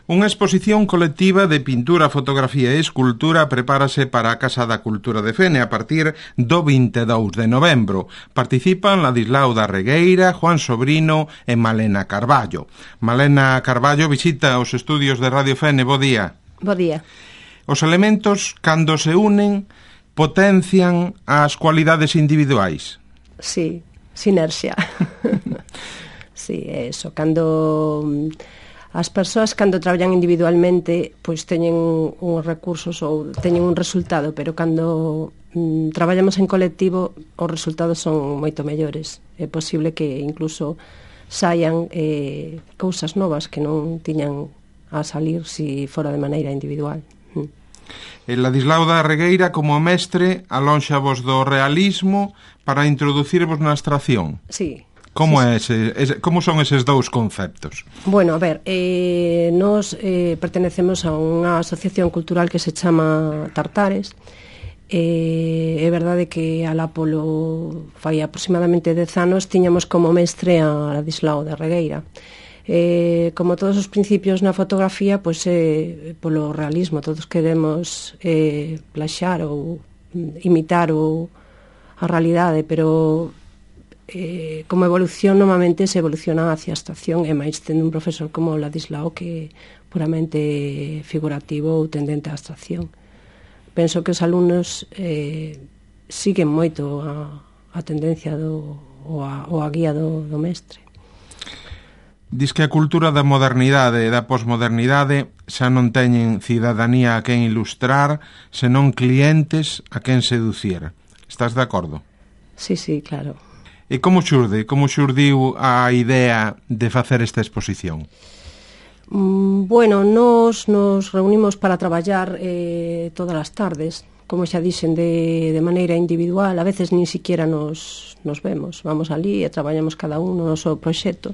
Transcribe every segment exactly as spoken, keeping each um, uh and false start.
Unha exposición colectiva de pintura, fotografía e escultura prepárase para a Casa da Cultura de Fene a partir do vinte e dous de novembro. Participan Ladislao da Regueira, Juan Sobrino e Malena Carballo. Malena Carballo visita os estudios de Radio Fene. Bo día. Bo día. Os elementos, cando se unen, potencian as cualidades individuais. Sí, sinerxia. Sí, é eso. Cando as persoas cando traballan individualmente pois teñen uns recursos ou teñen un resultado, pero cando mm, traballamos en colectivo os resultados son moito mellores. É posible que incluso saian eh, cousas novas que non tiñan a salir si fora de maneira individual. Mm. El Ladislao da Regueira, como mestre, alónxavos do realismo para introducirvos na abstracción. Sí. Como, sí, é ese, ese, como son eses dous conceptos? Bueno, a ver, eh, nos eh, pertenecemos a unha asociación cultural que se chama Tartares. Eh, é verdade que alá polo fai aproximadamente dez anos tiñamos como mestre a Ladislao da Regueira. Eh, como todos os principios na fotografía, pois é eh, polo realismo, todos queremos eh, plaxar ou imitar o, a realidade, pero Eh, como evolución normalmente se evoluciona hacia a abstracción, e máis tendo un profesor como Ladislao que é puramente figurativo ou tendente á abstracción. Penso que os alumnos eh, siguen moito a, a tendencia do, ou, a, ou a guía do, do mestre. Diz que a cultura da modernidade e da posmodernidade xa non teñen cidadanía a quen ilustrar, senón clientes a quen seducir. Estás de acordo? Sí, sí, claro. E como xurde, como xurdiu a idea de facer esta exposición? Mm, bueno, nos nos reunimos para traballar eh, todas as tardes, como xa dixen, de, de maneira individual. A veces nin siquiera nos, nos vemos, vamos ali e traballamos cada un no noso proxecto.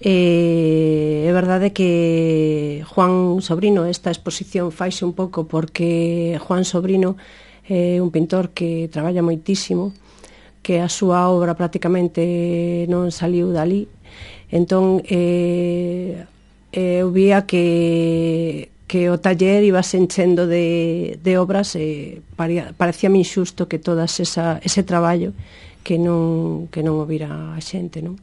Eh, é verdade que Juan Sobrino, esta exposición faise un pouco porque Juan Sobrino é un pintor que traballa moitísimo, que a súa obra prácticamente non saliu dali. Entón, eh, eu vía que, que o taller iba se enchendo de, de obras e parecía, parecíame injusto que todas esa, ese traballo que non, que non o vira a xente, non?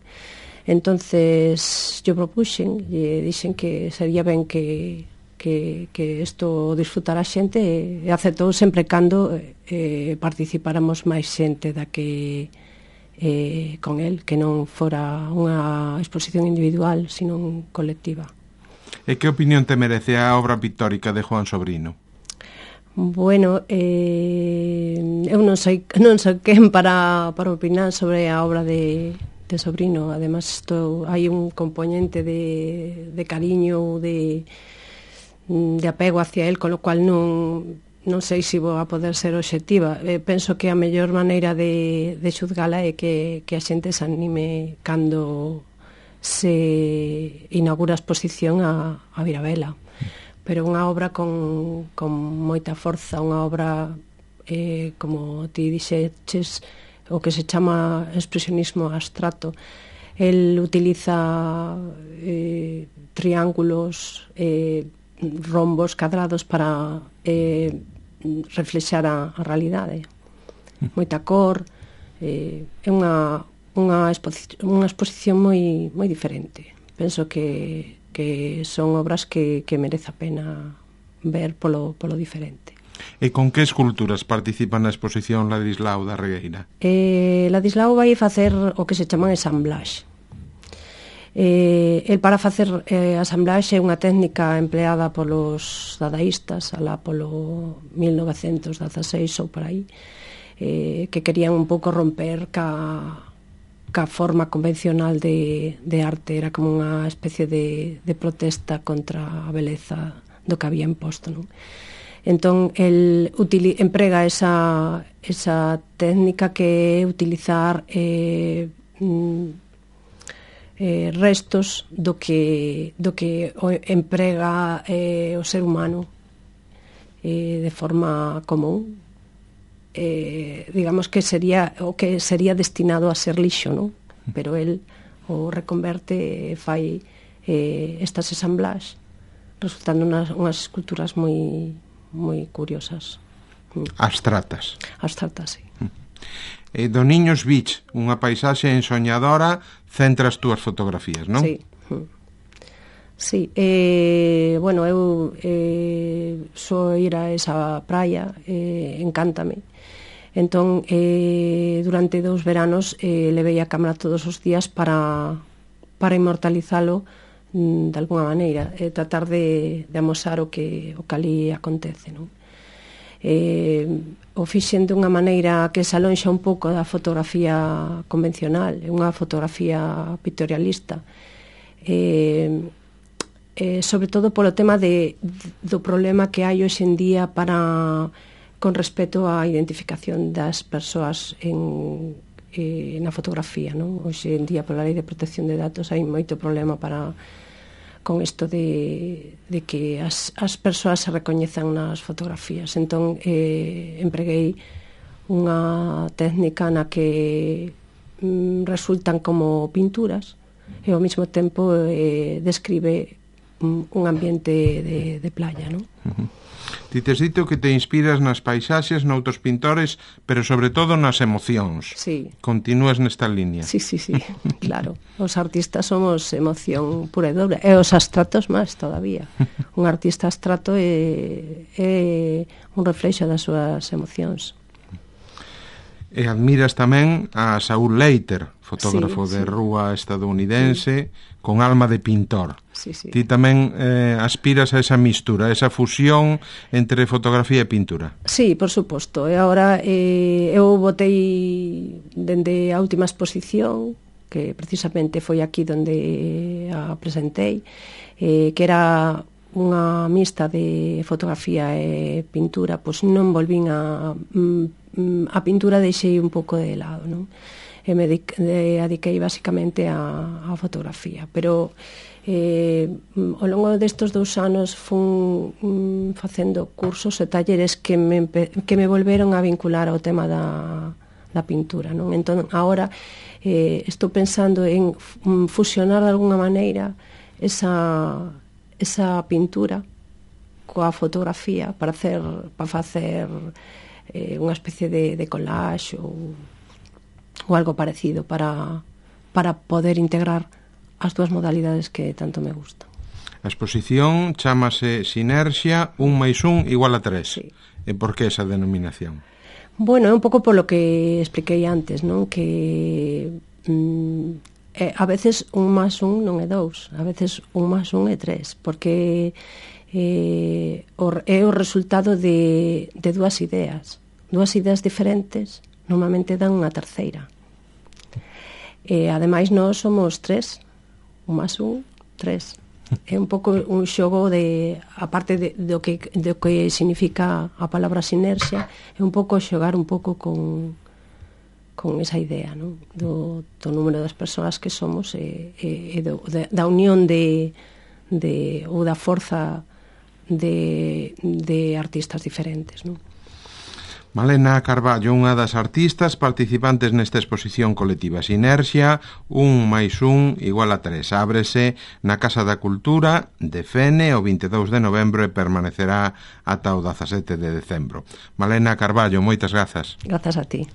Entonces, yo propuxen e dixen que sería ben que que, que isto disfrutara a xente e, e aceptou sempre cando eh, participáramos máis xente da que eh, con el, que non fora unha exposición individual, sino colectiva. E que opinión te merece a obra pictórica de Juan Sobrino? Bueno, eh, eu non sei, non sei quen para, para opinar sobre a obra de, de Sobrino. Además, isto, hai un componente de, de cariño, de de apego hacia él, con lo cual non, non sei se vou a poder ser obxectiva. Eh, penso que a mellor maneira de, de xuzgala é que, que a xente se anime cando se inaugura a exposición a, a vir a vela. Pero unha obra con, con moita forza, unha obra, eh, como ti dixeches, o que se chama expresionismo abstracto. El utiliza eh, triángulos, eh, rombos, cadrados para eh, reflexar a, a realidade. Moita cor, eh, é unha, unha, exposición, unha exposición moi, moi diferente. Penso que, que son obras que, que merece a pena ver polo, polo diferente. E con que esculturas participan na exposición Ladislao da Regueira? Eh, Ladislao vai facer o que se chaman ensamblaxe. Eh, el para facer eh, asamblaxe é unha técnica empleada polos dadaístas alá polo mil novecentos dezaseis ou por aí, eh, que querían un pouco romper ca, ca forma convencional de, de arte. Era como unha especie de, de protesta contra a beleza do que había imposto, non? Entón, el utili, emprega esa, esa técnica que é utilizar eh, mm, Eh, restos do que, do que emprega eh, o ser humano eh, de forma común. Eh, digamos que sería o que sería destinado a ser lixo, non? Pero el o reconverte e fai eh, estas ensamblaxes resultando unhas, unhas esculturas moi moi curiosas. Abstratas. Abstratas, sí. E do Niños Beach, unha paisaxe ensoñadora, centra as túas fotografías, non? Sí. Sí, eh, bueno, eu eh, só ir a esa praia, eh, encántame. Entón, eh, durante dous veranos eh, levei a cámara todos os días para, para inmortalizalo mm, de alguna maneira, e eh, tratar de, de amosar o que, o que ali acontece, non? Eh, o fixen de unha maneira que se alonxa un pouco da fotografía convencional, unha fotografía pictorialista, eh, eh, sobre todo polo tema de, do problema que hai hoxe en día para con respecto á identificación das persoas en, eh, na fotografía, non? Hoxe en día pola lei de protección de datos hai moito problema para con isto de, de que as, as persoas se recoñezan nas fotografías. Entón eh, empreguei unha técnica na que mm, resultan como pinturas e ao mesmo tempo eh, describe un ambiente de, de playa, non? Uh-huh. Ti tes dito que te inspiras nas paisaxes, noutros pintores, pero sobre todo nas emocións. Sí. Continúas nesta línea. Sí, sí, sí, claro. Os artistas somos emoción pura e dobre, e os abstratos máis todavía. Un artista abstrato é, é un reflexo das súas emocións. E admiras tamén a Saul Leiter, fotógrafo sí, de sí. rúa estadounidense, sí. con alma de pintor. Sí, sí. Ti tamén eh, aspiras a esa mistura, a esa fusión entre fotografía e pintura. Sí, por suposto. E agora eh, eu botei dende a última exposición, que precisamente foi aquí onde a presentei, eh, que era unha mixta de fotografía e pintura, pois non volvín a... a pintura deixei un pouco de lado, non? E me dediquei basicamente a, a fotografía, pero eh, ao longo destes dous anos fun mm, facendo cursos e talleres que me, que me volveron a vincular ao tema da, da pintura, non? Entón, agora eh, estou pensando en fusionar de alguna maneira esa, esa pintura coa fotografía para hacer, para facer eh, unha especie de, de collage ou, ou algo parecido para, para poder integrar as dúas modalidades que tanto me gustan. A exposición chámase Sinerxia, un máis un igual a tres. Sí. E por que esa denominación? Bueno, é un pouco polo que expliquei antes, non? Que mm, eh, a veces un máis un non é dous, a veces un máis un é tres, porque eh, é o resultado de, de dúas ideas. Dúas ideas diferentes normalmente dan unha terceira. E ademais nós somos tres, un máis un, tres. É un pouco un xogo de, aparte de, do, que, do que significa a palabra sinerxia, é un pouco xogar un pouco con, con esa idea, non? Do, do número das persoas que somos e, e, e do, de, da unión de, de, ou da forza de, de artistas diferentes, non? Malena Carballo, unha das artistas participantes nesta exposición colectiva Sinerxia, un máis un igual a tres. Ábrese na Casa da Cultura de Fene o vinte e dous de novembro e permanecerá ata o dezasete de decembro. Malena Carballo, moitas grazas. Grazas a ti.